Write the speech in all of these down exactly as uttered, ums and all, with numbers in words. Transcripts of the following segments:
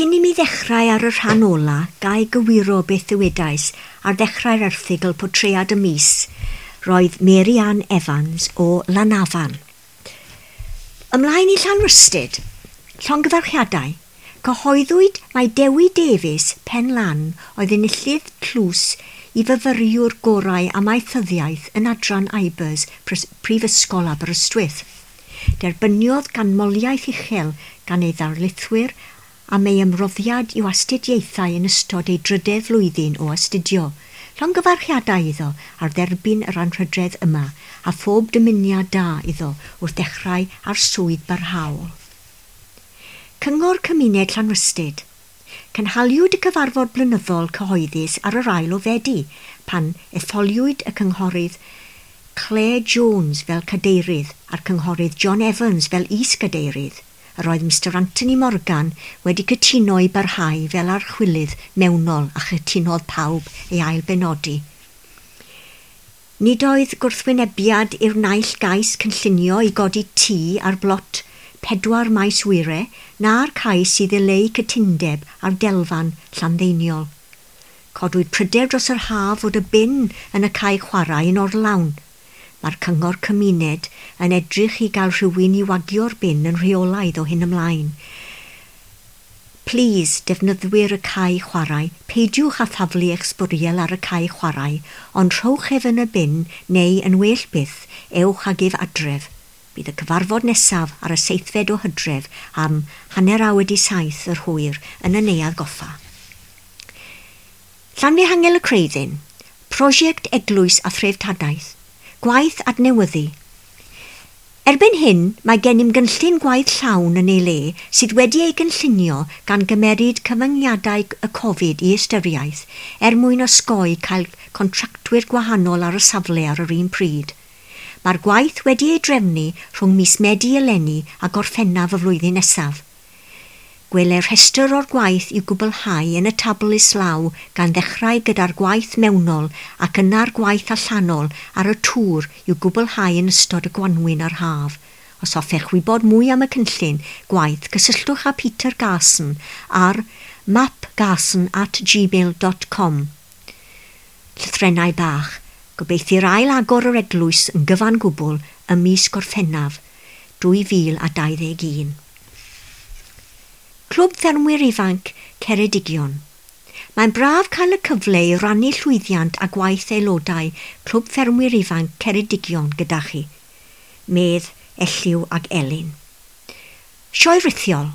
Cyn i mi ddechrau ar y rhan ola, ga i gywiro beth ddywedais ar ddechrau'r erthygl Portread y Mis, roedd Mary Ann Evans o Lanafan. Ymlaen i Llanrhystud, llongyfarchiadau, cyhoeddwyd mai Dewi Davies, Pen Lan, oedd enillydd tlws i fyfyriwr gorau amaethyddiaeth yn adran IBERS Prifysgol Aberystwyth. Derbyniodd ganmoliaeth uchel gan ei ddarlithwyr am ei ymroddiad i'w astudiaethau yn ystod ei drydedd flwyddyn o astudio. Llongyfarchiadau iddo ar dderbyn yr anrhydedd yma a phob dymuniad da iddo wrth ddechrau ar swydd barhaol. Cyngor Cymuned Llanrhystud. Cynhaliwyd y cyfarfod blynyddol cyhoeddus ar yr ail o Fedi pan etholiwyd y cynghorydd Claire Jones fel cadeirydd a'r cynghorydd John Evans fel is-gadeirydd. Yr oedd Mister Anthony Morgan wedi cytuno i barhau fel archwilydd mewnol a chytunodd pawb ei ailbenodi. Nid oedd gwrthwynebiad i'r naill gais cynllunio i godi tŷ ar blot pedwar Maes Wyre na'r cais i ddileu cytundeb ar delfan Llanddeiniol. Codwyd pryder dros yr haf fod y bin yn y cae chwarae yn orlawn. Mae'r cyngor cymuned yn edrych i gael rhywun i wagio'r bin yn rheolaidd o hyn ymlaen. Plîs, defnyddwyr y cae chwarae, peidiwch â thaflu eich sbwriel ar y cae chwarae, ond rhowch ef yn y bin neu yn well byth, ewch ag ef adref. Bydd y cyfarfod nesaf ar y seithfed o Hydref am hanner awr wedi saith yr hwyr yn y Neuadd Goffa. Llanfihangel y Creuddyn, Prosiect Eglwys a Threftadaeth, Gwaith adnewyddu. Erbyn hyn, mae gennym gynllun gwaith llawn yn ei le sydd wedi ei gynllunio gan gymeryd cyfyngiadau y Covid i ystyriaeth er mwyn osgoi cael contractwyr gwahanol ar y safle ar yr un pryd. Mae'r gwaith wedi ei drefnu rhwng mis Medi eleni a Gorffennaf y flwyddyn nesaf. Gweler rhestr o'r gwaith i'w gwblhau yn y tabl islaw gan ddechrau gyda'r gwaith mewnol ac yna'r gwaith allanol ar y tŵr i'w gwblhau yn ystod y gwanwyn a'r haf. Os hoffech wybod mwy am y cynllun gwaith, cysylltwch â Peter Garson ar mapgarson at gmail dot com. Llythrennau bach, gobeithio'r ail agor yr eglwys yn gyfan gwbl ym mis Gorffennaf dwy fil a dau ddeg un. Clwb Ffermwyr Ifanc Ceredigion. Mae'n braf cael y cyfle i rannu llwyddiant a gwaith aelodau Clwb Ffermwyr Ifanc Ceredigion gyda chi, medd Elliw ag Elin. Sioe rithiol.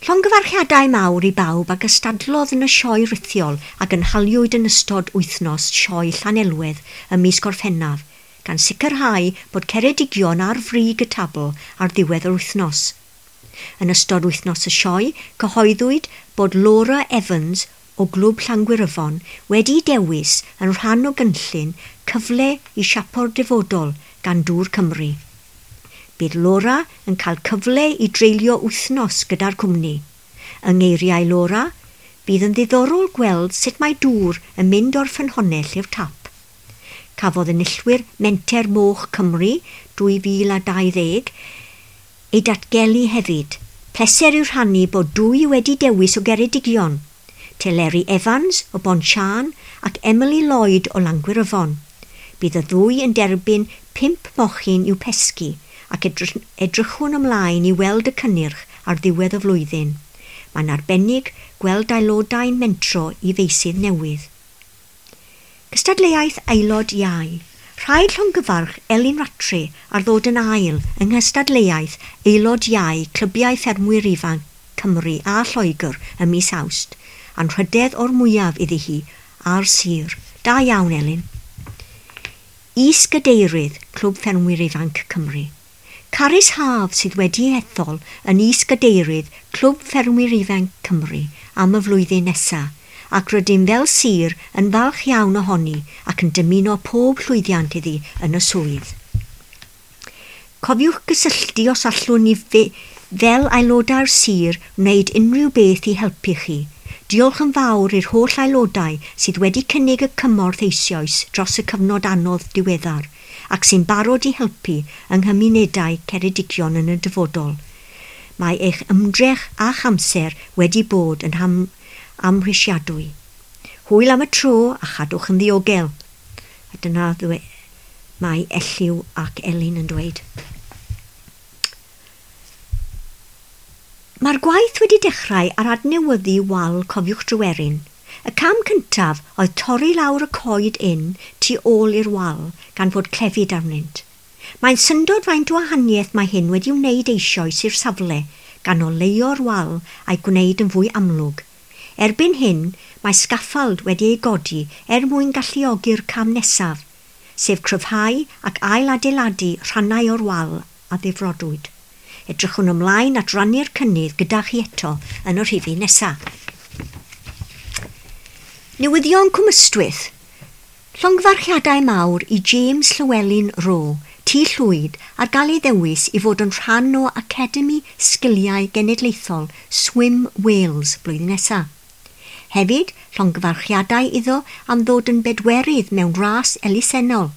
Llongyfarchiadau mawr i bawb a gystadlodd yn y sioe rithiol a gynhaliwyd yn ystod wythnos sioe Llanelwedd ym mis Gorffennaf, gan sicrhau bod Ceredigion ar frig y tabl ar ddiwedd yr wythnos. Yn ystod wythnos y sioe, cyhoeddwyd bod Laura Evans o Glwb Llangwyryfon wedi dewis yn rhan o gynllun cyfle i siapo'r dyfodol gan Dŵr Cymru. Bydd Laura yn cael cyfle i dreulio wythnos gyda'r cwmni. Yng ngeiriau Laura, bydd yn ddiddorol gweld sut mae dŵr yn mynd o'r ffynhonnell i'r tap. Cafodd enillwyr Menter Moch Cymru dwy fil a dau ddeg ei datgelu hefyd. Pleser yw rhannu bod dwy wedi dewis o Geredigion, Teleri Evans o Bontsiân ac Emily Lloyd o Langwyryfon. Bydd y ddwy yn derbyn pump mochyn i'w pesgi ac edrychwn ymlaen i weld y cynnyrch ar ddiwedd y flwyddyn. Mae'n arbennig gweld aelodau'n mentro i feysydd newydd. Cystadleuaeth aelod iau. Rhaid llongyfarch Elin Rattray ar ddod yn ail yng nghystadleuaeth aelod iau Clybiau Ffermwyr Ifanc Cymru a Lloegr ym mis Awst, anrhydedd o'r mwyaf iddi hi a'r sir. Da iawn, Elin. Is-gadeirydd Clwb Ffermwyr Ifanc Cymru. Carys Haf sydd wedi ethol yn is-gadeirydd Clwb Ffermwyr Ifanc Cymru am y flwyddyn nesaf, ac rydym fel sir yn falch iawn ohoni ac yn dymuno pob llwyddiant iddi yn y swydd. Cofiwch gysylltu os allwn ni fe, fel aelodau'r sir wneud unrhyw beth i helpu chi. Diolch yn fawr i'r holl aelodau sydd wedi cynnig y cymorth eisoes dros y cyfnod anodd diweddar ac sy'n barod i helpu yng nghymunedau Ceredigion yn y dyfodol. Mae eich ymdrech a'ch amser wedi bod yn ham amhrisiadwy. Hwyl am y tro a chadwch yn ddiogel. A dyna ddwe mae Elliw ac Elin yn dweud. Mae'r gwaith wedi dechrau ar adnewyddu wal Cofiwch Dryweryn. Y cam cyntaf oedd torri lawr y coed ynn tu ôl i'r wal gan fod clefyd arnynt. Mae'n syndod faint o wahaniaeth mae hyn wedi wneud eisoes i'r safle gan oleuo'r wal a'i gwneud yn fwy amlwg. Erbyn hyn, mae sgaffald wedi ei godi er mwyn galluogi'r cam nesaf, sef cryfhau ac ailadeiladu rhannau o'r wal a ddifrodwyd. Edrychwn ymlaen at rannu'r cynnydd gyda chi eto yn y rhifyn nesaf. Newyddion Cwm Ystwyth. Llongyfarchiadau mawr i James Llewellyn Rowe, Tŷ Llwyd, ar gael ei ddewis i fod yn rhan o Academi Sgiliau Genedlaethol Swim Wales blwyddyn nesaf. Hefyd, llongyfarchiadau iddo am ddod yn bedwerydd mewn ras elusennol,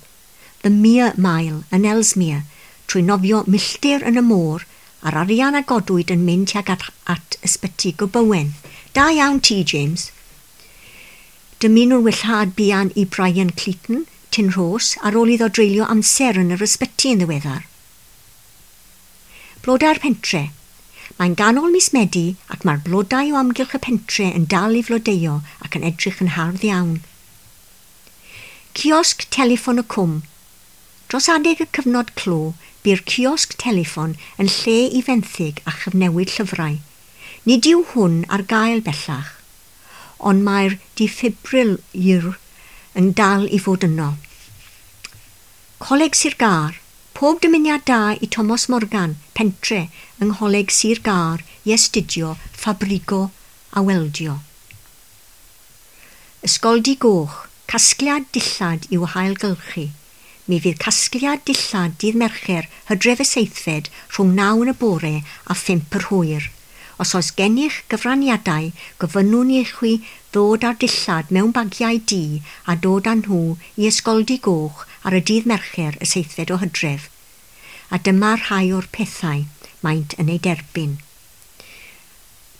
The Mere Mile yn Ellesmere, trwy nofio milltir yn y môr a'r arian a godwyd yn mynd tuag at, at ysbyty Gobowen. Da iawn ti, James. Dymunwn wellhad buan i Brian Cleeton, Tyn Rhos, ar ôl iddo dreulio amser yn yr ysbyty yn ddiweddar. Blodau'r pentre. Mae'n ganol mis Medi ac mae'r blodau o amgylch y pentre yn dal i flodeuo ac yn edrych yn hardd iawn. Ciosg Teleffon y Cwm. Dros adeg y cyfnod clo, bu'r ciosg teleffon yn lle i fenthyg a chyfnewid llyfrau. Nid yw hwn ar gael bellach, ond mae'r diffibriliwr yn dal i fod yno. Coleg Sir Gâr. Pob dymuniad da i Thomas Morgan, pentre, yng Ngholeg Sir Gâr i astudio ffabrigo a weldio. Ysgoldy Goch. Casgliad dillad i'w hailgylchu. Mi fydd casgliad dillad dydd Mercher Hydref y seithfed rhwng naw yn y bore a phump yr hwyr. Os oes gennych gyfraniadau, gofynnwn i chwi ddod â'r dillad mewn bagiau du a dod â nhw i Ysgoldy Goch ar y dydd Mercher y seithfed o Hydref. A dyma rhai o'r pethau maent yn ei derbyn.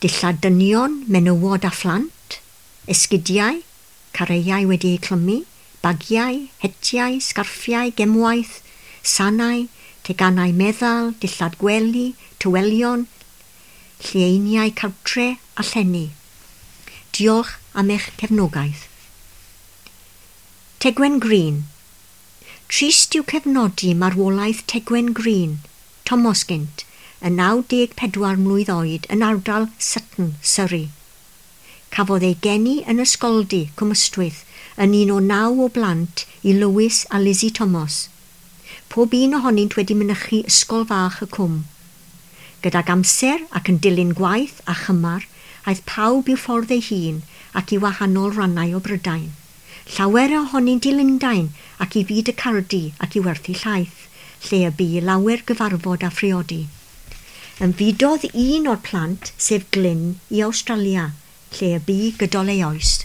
Dillad dynion, menywod a phlant, esgidiau, careiau wedi eu clymu, bagiau, hetiau, sgarffiau, gemwaith, sanau, teganau meddal, dillad gwely, tywelion, llieiniau cartre a llenni. Diolch am eich cefnogaeth. Tegwen Green. Trist yw cefnodi marwolaeth Tegwen Green, Thomas gynt, yn naw deg pedwar mlwydd oed yn ardal Sutton, Surrey. Cafodd ei geni yn Ysgoldy, Cwm Ystwyth, yn un o naw o blant i Lewis a Lizzie Thomas. Pob un ohonynt wedi mynychu ysgol fach y cwm. Gydag amser ac yn dilyn gwaith a chymar, aeth pawb i'w ffordd ei hun ac i wahanol rannau o Brydain. Llawer ohonynt i Lundain ac i fyd y Cardi ac i werthu llaeth, lle y bu lawer gyfarfod a phriodi. Ymfudodd un o'r plant, sef Glyn, i Awstralia, lle y bu gydol ei oes.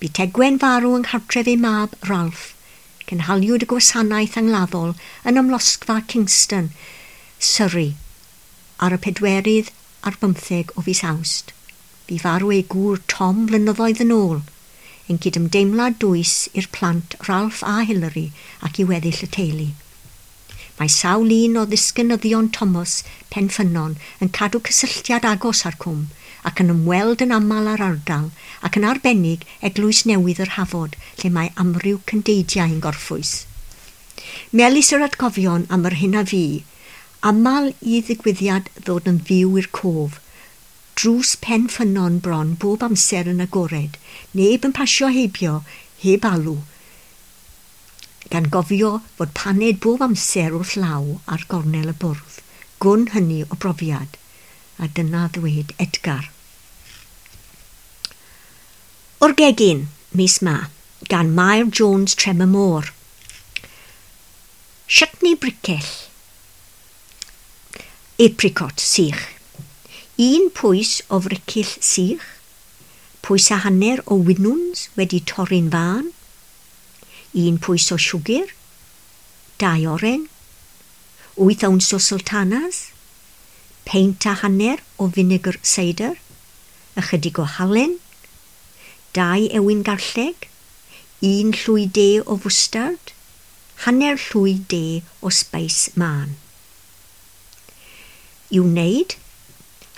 Bu Tegwen farw yng nghartref ei mab, Ralph. Cynhaliwyd y gwasanaeth angladdol yn amlosgfa Kingston, Surrey, ar y pedwerydd ar bymtheg o fis Awst. Bu farw ei gŵr Tom flynyddoedd yn ôl, yn cydymdeimlad dwys i'r plant Ralph a Hilary ac i weddill y teulu. Mae sawl un o ddisgynyddion Thomas Penffynnon yn cadw cysylltiad agos â'r cwm ac yn ymweld yn aml â'r ardal ac yn arbennig Eglwys Newydd yr Hafod, lle mae amryw cyndeidiau yn gorffwys. Melys yr atgofion am yr hyn a fu, aml i ddigwyddiad ddod yn fyw i'r cof, drws Penffynnon bron bob amser yn agored, neb yn pasio heibio, heb alw, gan gofio fod paned bob amser wrth law ar gornel y bwrdd, gwn hynny o brofiad, a dyna ddweud Edgar. O'r gegin, mis Ma, gan Mair Jones Trem y Môr. Chutney bricell. Apricot sych. Un pwys o fricyll sych, pwys a hanner o winwns wedi torri'n fân, un pwys o siwgr, dau oren, wyth owns o sultanas, Peint a hanner o finegr seidr, ychydig o halen, dau ewin garlleg, un llwy de o fwstard, hanner llwy de o sbeis mân. I'w wneud,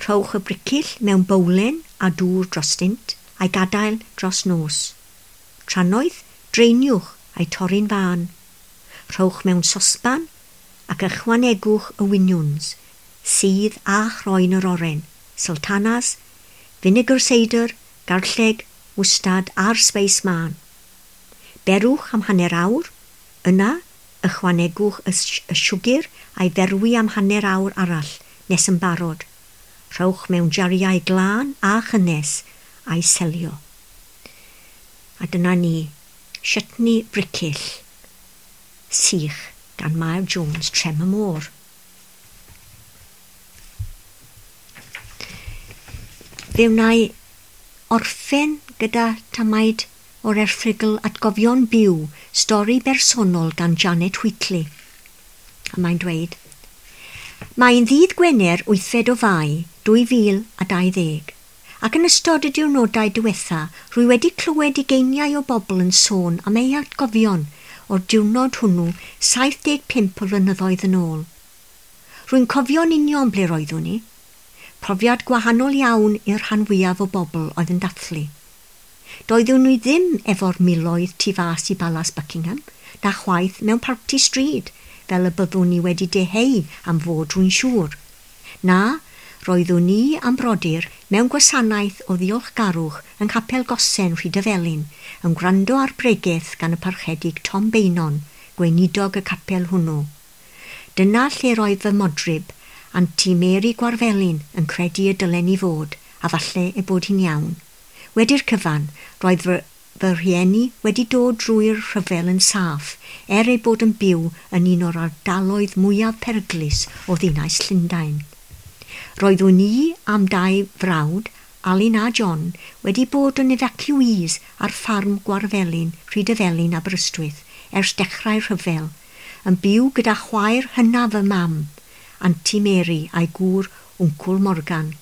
rhowch y bricyll mewn bowlen a dŵr drostynt a'i gadael dros nos. Trannoeth, dreiniwch a'i torri'n fân. Rhowch mewn sosban ac ychwanegwch y winiwns, sydd a chroen yr oren, sultanas, finegr seidr, garlleg, mwstad a'r sbeis mân. Berwch am hanner awr, yna ychwanegwch y, y siwgr a'i ferwi am hanner awr arall nes yn barod. Rhowch mewn jariau glân a chynnes a'i selio. A dyna ni, Chutney Bricyll, sych gan Mair Jones, Trem y Môr. Fe wna i orffen gyda tamaid o'r erthygl Atgofion Byw, stori bersonol gan Janet Wheatley. A mae'n dweud, Mae'n ddydd Gwener wythfed o Fai dwy fil a dau ddeg, ac yn ystod y diwrnodau diwetha, rwy wedi clywed ugeiniau o bobl yn sôn am eu atgofion o'r diwrnod hwnnw saith deg pump o flynyddoedd yn ôl. Rwy'n cofio'n union ble roeddwn i. Profiad gwahanol iawn i'r rhan fwyaf o bobl oedd yn dathlu. Doeddwn i ddim efo'r miloedd tu fas i Balas Buckingham, na chwaith mewn parti stryd, fel y byddwn ni wedi deheu am fod rwy'n siŵr. Na, roeddwn ni am brodyr mewn gwasanaeth o ddiolchgarwch yng Nghapel Gosen Rhydyfelin, yn gwrando ar bregeth gan y parchedig Tom Beynon, gweinidog y capel hwnnw. Dyna lle roedd fy modryb, Anti Mary Gwarfelin, yn credu y dylen i fod, a falle ei bod hi'n iawn. Wedi'r cyfan, roedd fy, fy rhieni wedi dod drwy'r rhyfel yn saff, er ei bod yn byw yn un o'r ardaloedd mwyaf peryglus o ddinas Llundain. Roeddwn i am dau frawd, Alun a John, wedi bod yn evacuees ar ffarm Gwarfelin, Rhydyfelin, Aberystwyth, ers dechrau'r rhyfel, yn byw gyda chwaer hynaf fy mam, Anti Mary a'i gŵr Wncwl Morgan.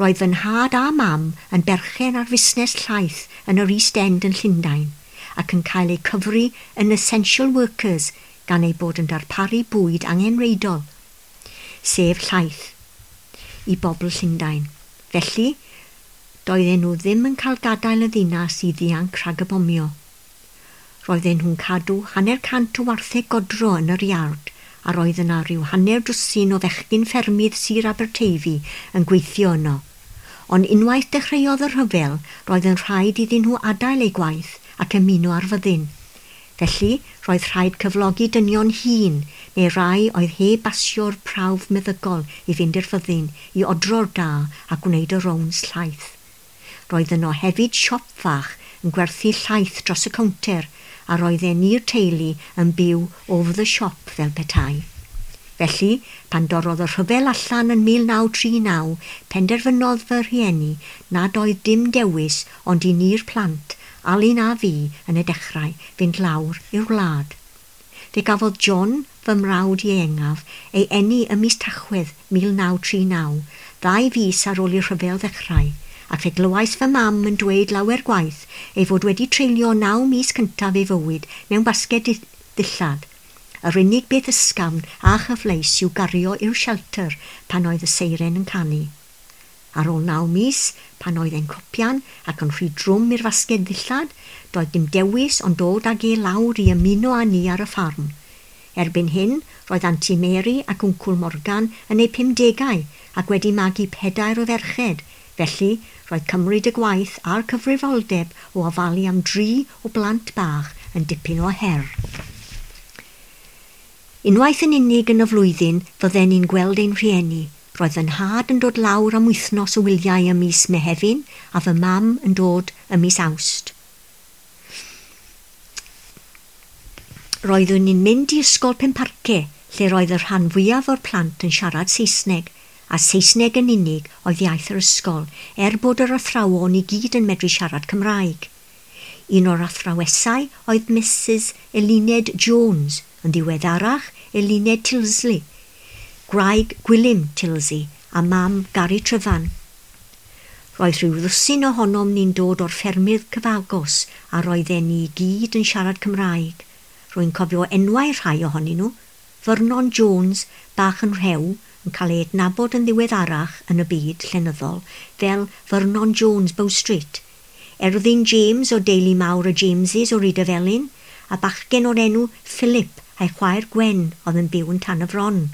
Roedd fy nhad a mam yn berchen ar fusnes llaeth yn yr East End yn Llundain ac yn cael eu cyfri yn essential workers gan eu bod yn darparu bwyd angenrheidiol, sef llaeth, i bobl Llundain. Felly, doedden nhw ddim yn cael gadael y ddinas i ddianc rhag y bomio. Roedden nhw'n cadw hanner cant o wartheg godro yn yr iard, a roedd yna rhyw hanner dwsin o fechgyn ffermydd Sir Aberteifi yn gweithio yno. Ond unwaith dechreuodd y rhyfel, roedd yn rhaid iddyn nhw adael eu gwaith ac ymuno ar fyddin. Felly, roedd rhaid cyflogi dynion hŷn neu rai oedd heb basio'r prawf meddygol i fynd i'r fyddin i odro'r da a gwneud y rownds llaeth. Roedd yno hefyd siop fach yn gwerthu llaeth dros y cownter, a roedden ni'r teulu yn byw over the shop fel petai. Felly, pan dorrodd y rhyfel allan yn mil naw tri naw, penderfynodd fy rhieni nad oedd dim dewis ond i ni'r plant, Alun a fi, yn y dechrau, fynd lawr i'r wlad. Fe gafodd John, fy mrawd ieuengaf, ei eni ym mis Tachwedd mil naw tri naw, ddau fis ar ôl i'r rhyfel ddechrau, ac fe glywais fy mam yn dweud lawer gwaith ei fod wedi treulio naw mis cyntaf ei fywyd mewn basged ddillad. Yr unig beth ysgafn a chyfleus i'w gario i'r shelter pan oedd y seiren yn canu. Ar ôl naw mis, pan oedd e'n cropian ac yn rhy drwm i'r fasged ddillad, doedd dim dewis ond dod ag e lawr i ymuno â ni ar y ffarm. Erbyn hyn, roedd Anti Mary ac Wncwl Morgan yn eu pumdegau ac wedi magu pedair o ferched, felly roedd cymryd y gwaith a'r cyfrifoldeb o ofalu am dri o blant bach yn dipyn o her. Unwaith yn unig yn y flwyddyn fydden ni'n gweld ein rhieni. Roedd fy nhad yn dod lawr am wythnos o wyliau ym mis Mehefin a fy mam yn dod ym mis Awst. Roeddwn ni'n mynd i ysgol Penparce, lle roedd y rhan fwyaf o'r plant yn siarad Saesneg, a Saesneg yn unig oedd iaith yr ysgol, er bod yr athrawon i gyd yn medru siarad Cymraeg. Un o'r athrawesau oedd Missus Eluned Jones, yn ddiweddarach Eluned Tilsley, gwraig Gwilym Tilsey a mam Gary Tryfan. Roedd rhyw ddwsin ohonom ni'n dod o'r ffermydd cyfagos a roedden ni i gyd yn siarad Cymraeg. Rwy'n cofio enwau rhai ohonyn nhw. Vernon Jones, bach yn rhew, yn cael ei adnabod yn ddiweddarach yn y byd llenyddol fel Vernon Jones Bow Street. Erddyn James o deulu mawr y Jameses o Rydyfelin, a bachgen o'r enw Philip a'i chwaer Gwen oedd yn byw yn Tan y Fron.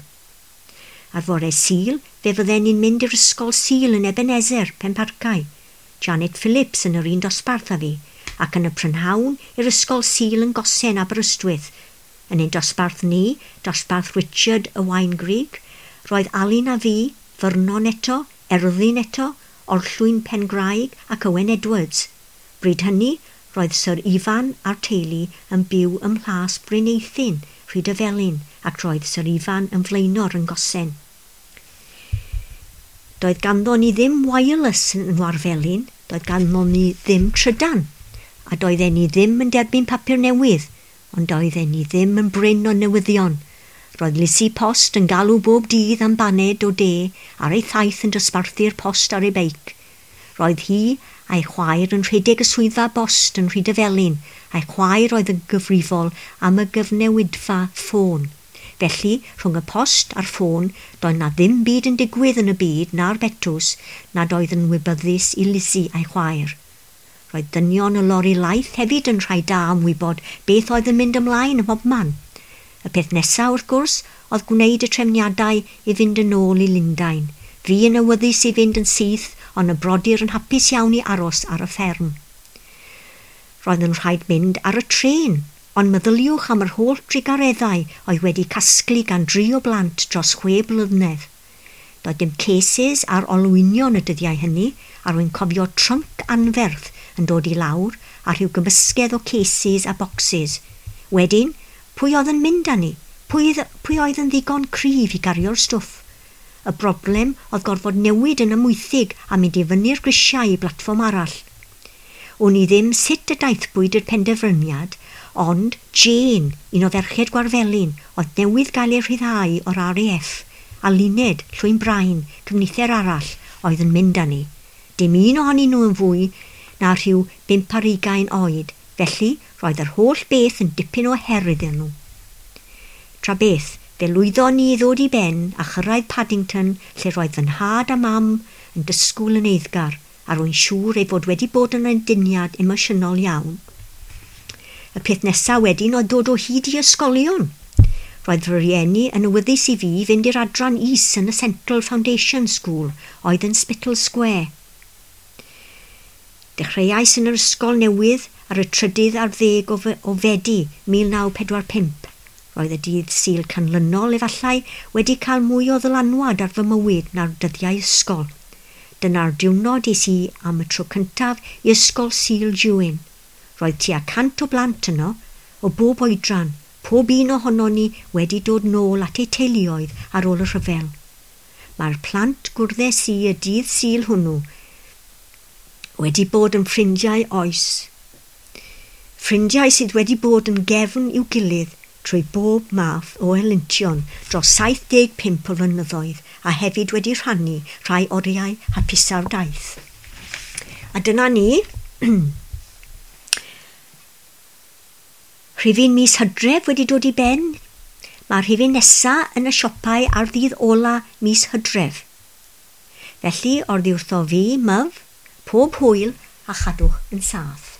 Ar fore Sul, fe fydden ni'n mynd i'r ysgol Sul yn Ebenezer, Penparcau. Janet Phillips yn yr un dosbarth â fi, ac yn y prynhawn i'r ysgol Sul yn Gosen Aberystwyth. Yn ein dosbarth ni, dosbarth Richard y Waungrig, roedd Alun a fi, Vernon eto, Erddyn eto, Orllwyn Pengraig ac Owen Edwards. Bryd hynny, roedd Sir Ifan a'r teulu yn byw ym Mhlas Bryn Eithin, Rhydyfelin, ac roedd Sir Ifan yn flaenor yn Gosen. Doedd ganddo ni ddim wireless yn Ngwarfelin, doedd ganddo ni ddim trydan, a doedden ni ddim yn derbyn papur newydd, ond doedden ni ddim yn brin o newyddion. Roedd Lizzie Post yn galw bob dydd am baned o de ar ei thaith yn dosbarthu'r post ar ei beic. Roedd hi a'i chwaer yn rhedeg y swyddfa bost yn Rhydyfelin, a'i chwaer oedd yn gyfrifol am y gyfnewidfa ffôn. Felly, rhwng y post a'r ffôn, doedd na ddim byd yn digwydd yn y byd na'r betws nad oedd yn wybyddus i Lizzie a'i chwaer. Roedd dynion y lori laeth hefyd yn rhai da am wybod beth oedd yn mynd ymlaen ym mhobman. Y peth nesaf, wrth gwrs, oedd gwneud y trefniadau i fynd yn ôl i Lundain. Fi yn awyddus i fynd yn syth, ond y brodyr yn hapus iawn i aros ar y fferm. Roedd yn rhaid mynd ar y trên, ond meddyliwch am yr holl drugareddau oedd wedi casglu gan dri o blant dros chwe blynedd. Doedd dim cases ar olwynion y dyddiau hynny, a rwy'n cofio trunk anferth yn dod i lawr a rhyw gymysgedd o cases a boxes. Wedyn, pwy oedd yn mynd â ni? Pwy, pwy oedd yn ddigon cryf i gario'r stwff? Y broblem oedd gorfod newid yn Amwythig a mynd i fyny'r grisiau i blatfform arall. Wn i ddim sut y daethpwyd i'r penderfyniad, ond Jane, un o ferched Gwarfelin, oedd newydd gael ei rhyddhau o'r R A F, a Luned, Llwyn Brain, cyfnither arall, oedd yn mynd â ni. Dim un ohonyn nhw yn fwy na rhyw bump ar ugain oed, felly roedd yr holl beth yn dipyn o her iddyn nhw. Tra beth, fe lwyddon ni i ddod i ben a chyrraedd Paddington lle roedd fy nhad a mam yn dysgwyl yn eiddgar, a rwy'n siŵr ei fod wedi bod yn aduniad emosiynol iawn. Y peth nesaf wedyn oedd dod o hyd i ysgolion. Roedd fy rhieni yn awyddus i fi fynd i'r adran is yn y Central Foundation School oedd yn Spittal Square. Dechreuais yn yr ysgol newydd ar y trydydd ar ddeg o, o Fedi mil naw pedwar pump. Roedd y dydd Sul canlynol efallai wedi cael mwy o ddylanwad ar fy mywyd na'r dyddiau ysgol. Dyna'r diwrnod es i am y tro cyntaf i ysgol Sul Jewin. Roedd tua cant o blant yno, o bob oedran, pob un ohonon ni wedi dod nôl at eu teuluoedd ar ôl y rhyfel. Mae'r plant gwrddes i y dydd Sul hwnnw wedi bod yn ffrindiau oes. Ffrindiau sydd wedi bod yn gefn i'w gilydd trwy bob math o helyntion dros saith deg pump o flynyddoedd a hefyd wedi rhannu rhai oriau hapusa'r daith. A dyna ni. Rhifyn mis Hydref wedi dod i ben. Mae'r rhifyn nesaf yn y siopau ar ddydd ola mis Hydref. Felly, oddi wrtho fi, myf, pob hwyl a chadwch yn saff.